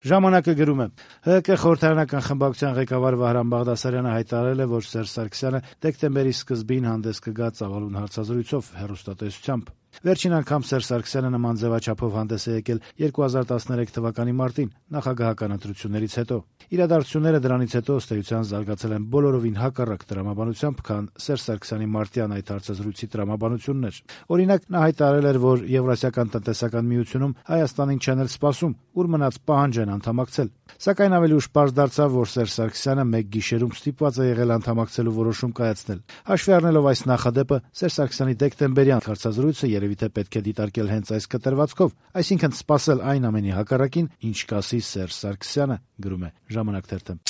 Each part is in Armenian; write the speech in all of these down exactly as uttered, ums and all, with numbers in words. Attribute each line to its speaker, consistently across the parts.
Speaker 1: Ժամանակը գրում է. «ՀՀԿ խորհրդարանական խմբակցության ղեկավար Վահրամ Բաղդասարյանը հայտարարել է, որ Սերժ Սարգսյանը դեկտեմբերի սկզբին հանդես կգա ծավալուն հարցազրույցով հեռուստատեսությամբ։ Վերջին անգամ Սերժ Սարգսյանը նման ձևաչափով հանդես է եկել երկու հազար տասներեք թվականի մարտին նախագահական ընտրություններից հետո։ Իրադարձությունները դրանից հետո ըստ էության զարգացել են բոլորովին հակառակ տրամաբանությամբ, քան Սերժ Սարգսյանի մարտյան այդ հարցազրույցի տրամաբանությունն էր։ Օրինակ, նա հայտարարել էր, որ Եվրասիական տնտեսական միությունում Հայաստանին չեն էլ սպասում, ուր մնաց պահանջ են անդամակցել։ Սակայն ավելի ուշ պարզ դարձավ, որ Սերժ Սարգսյանը մեկ գիշերում ստիպված է եղել անդամակցելու որոշում կայացնել։ Հաշվի առնելով այս նախադեպը, Սերժ Սարգսյանի դեկտեմբերյան հարցազրույցը երևի թե պետք է դիտարկել հենց այս կտրվածքով, այսինքն սպասել այն ամենի հակառակին, ինչ կասի Սերժ Սարգսյանը, գրում է «Ժամանակ» թերթը»։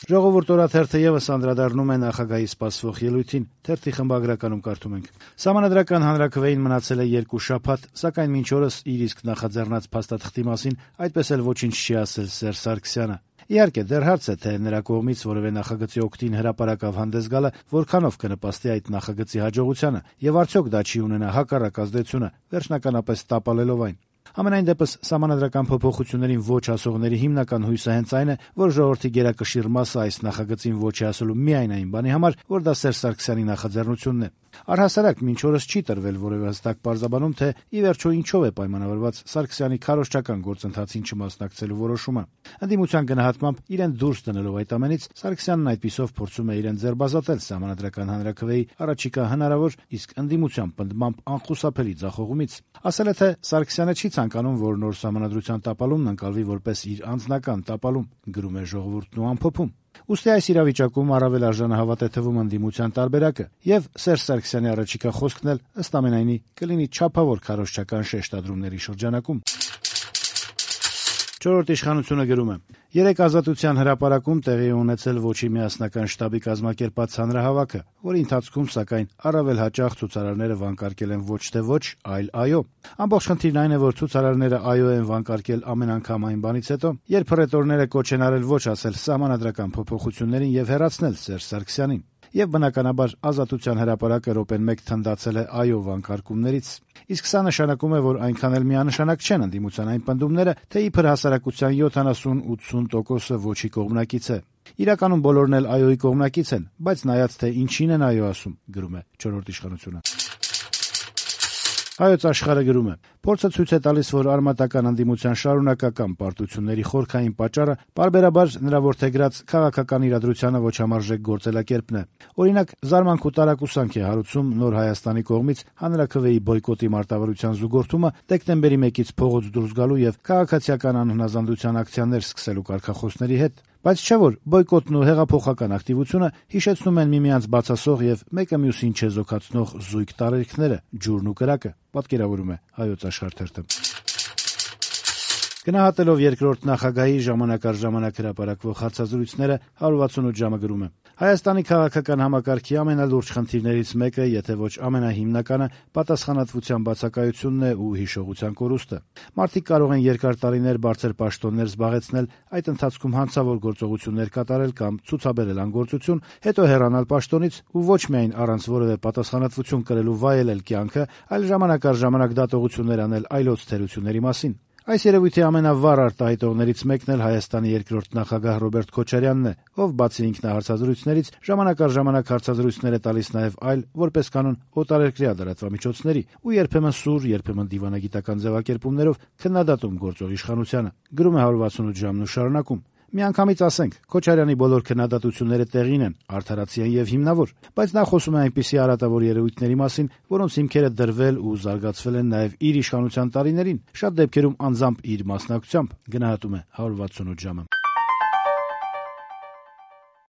Speaker 1: «Ժողովուրդ» օրաթերթը ևս անդրադառնում է նախագահի սպասվող ելույթին։ Թերթի խմբագրականում կարդում ենք. «Սահմանադրական հանրաքվեին մնացել է երկու շաբաթ, սակայն մինչ օրս իր իսկ նախաձեռնած փաստաթղթի մասին այդպես էլ ոչինչ չի ասել Սերժ Սարգսյանը։ Իհարկե, դեռ հարց է, թե նրա կողմից որևէ նախագծի օգտին հրապարակավ հանդես գալը որքանով կնպաստի այդ նախագծի հաջողությանը, եւ արդյոք դա չի ունենա հակառակ ազդեցությունը, վերջնականապես տապալելով այն։ Համենայն դեպս, սահմանադրական փոփոխություններին ոչ ասողների հիմնական հույսը հենց այն է, որ ժողովրդի գերակշիռ մասը այս նախագծին ոչ է ասելու միայն այն բանի համար, որ դա Սերժ Սարգսյանի նախաձեռնությունն է։ Առհասարակ մինչ օրս չի տրվել որևէ հստակ պարզաբանում, թե ի վերջո ինչով է պայմանավորված Սարգսյանի քարոզչական գործընթացին չմասնակցելու որոշումը։ Ընդդիմության գնահատմամբ, իրեն դուրս դնելով այդ ամենից, Սարգսյանն այդպիսով փորձում է իրեն ձերբազատել սահմանադրական հանրաքվեի առաջիկա հնարավոր, իսկ ընդդիմության պնդմամբ անխուսափելի ձախողումից։ Ասել է, թե Սարգսյանը չի ցանկանում, որ նոր սահմանադրության տապալումն ընկալվի որպես իր անձնական տապալում, գրում է «Ժողովուրդն» ու ամփոփում։ Ուստի այս իրավիճակում առավել արժանահավատ է թվում ընդդիմության տարբերակը, եւ Սերժ Սարգսյանի առաջիկա խոսքն էլ ըստ ամենայնի կլինի չափավոր քարոզչական շեշտադրումների շրջանակում։ «Չորրորդ իշխանությունը» գրում է. «Երեկ Ազատության հրապարակում տեղի է ունեցել Ոչի միասնական շտաբի կազմակերպած հանրահավաքը, որի ընթացքում, սակայն, առավել հաճախ ցուցարարները վանկարկել են ոչ թե ոչ, այլ այո։ Ամբողջ խնդիրն այն է, որ ցուցարարները այո են վանկարկել ամեն անգամ այն բանից հետո, երբ հռետորները կոչ են արել ոչ ասել սահմանադրական փոփոխություններին եւ հեռացնել Սերժ Սարգսյանին։ Եվ բնականաբար Ազատության հրապարակը րոպեն մեկ թնդացել է այո վանկարկումներից։ Իսկ սա նշանակում է, որ այնքան էլ միանշանակ չեն ընդդիմության այն պնդումները, թե իբր հասարակության յոթանասուն-ութսուն տոկոսը ոչի կողմնակից է։ Իրականում բոլորն էլ այոյի կողմնակից են, բայց նայած թե ինչին են այո ասում, գրում է «Չորրորդ իշխանությունը»։ Հայոց Աշխարհը գրում է. «Փորձը ցույց է տալիս, որ արմատական ընդդիմության շարունակական պարտությունների խորքային պատճառը պարբերաբար նրա որդեգրած քաղաքական իրադրությանը ոչ համարժեք գործելակերպն է։ Օրինակ, զարմանք ու տարակուսանք է հարուցում Նոր Հայաստանի կողմից հանրաքվեի բոյկոտի մարտավարության զուգորդումը դեկտեմբերի մեկից փողոց դուրս գալու եւ քաղաքացիական անհնազանդության ակցիաներ սկսելու կարգախոսների հետ։ Բայց չէ՞ որ բոյկոտն ու հեղափոխական ակտիվությունը հիշեցնում են միմյանց բացասող եւ մեկը մյուսին չեզոքացնող զույգ տարերքները՝ ջուրն ու կրակը», պատկերավորում է Հայոց Աշխարհ թերթը։ Գնահատելով երկրորդ նախագահի ժամանակ առ ժամանակ հրապարակվող հարցազրույցները հարյուր վաթսունութ ժամը գրում է. «Հայաստանի քաղաքական համակարգի ամենալուրջ խնդիրներից մեկը, եթե ոչ ամենահիմնականը, պատասխանատվության բացակայությունն է ու հիշողության կորուստը։ Մարդիկ կարող են երկար տարիներ բարձր պաշտոններ զբաղեցնել, այդ ընթացքում հանցավոր գործողություններ կատարել կամ ցուցաբերել անգործություն, հետո հեռանալ պաշտոնից ու ոչ միայն առանց որևէ պատասխանատվություն կրելու վայելել կյանքը, այլ ժամանակ առ ժամանակ դատողություններ անել այլոց թերությունների մասին։ Այս երևույթի ամենավառ արտահայտողներից մեկն էլ Հայաստանի երկրորդ նախագահ Ռոբերտ Քոչարյանն է, ով բացի ինքնահարցազրույցներից ժամանակ առ ժամանակ հարցազրույցներ է տալիս նաև այլ, որպես կանոն, օտարերկրյա լրատվամիջոցների ու երբեմն սուր, երբեմն դիվանագիտական ձևակերպումներով քննադատում գործող իշխանությանը, գրում է հարյուր վաթսունութ ժամն ու շարունակում. «Միանգամից ասենք, Քոչարյանի բոլոր քննադատությունները տեղին են, արդարացի են եւ հիմնավոր, բայց նա խոսում է այնպիսի արատավոր երևույթների մասին, որոնց հիմքերը դրվել ու զարգացվել են նաեւ իր իշխանության տարիներին, շատ դեպքերում անձամբ իր մասնակցությամբ», գնահատում է հարյուր վաթսունութ ժամը։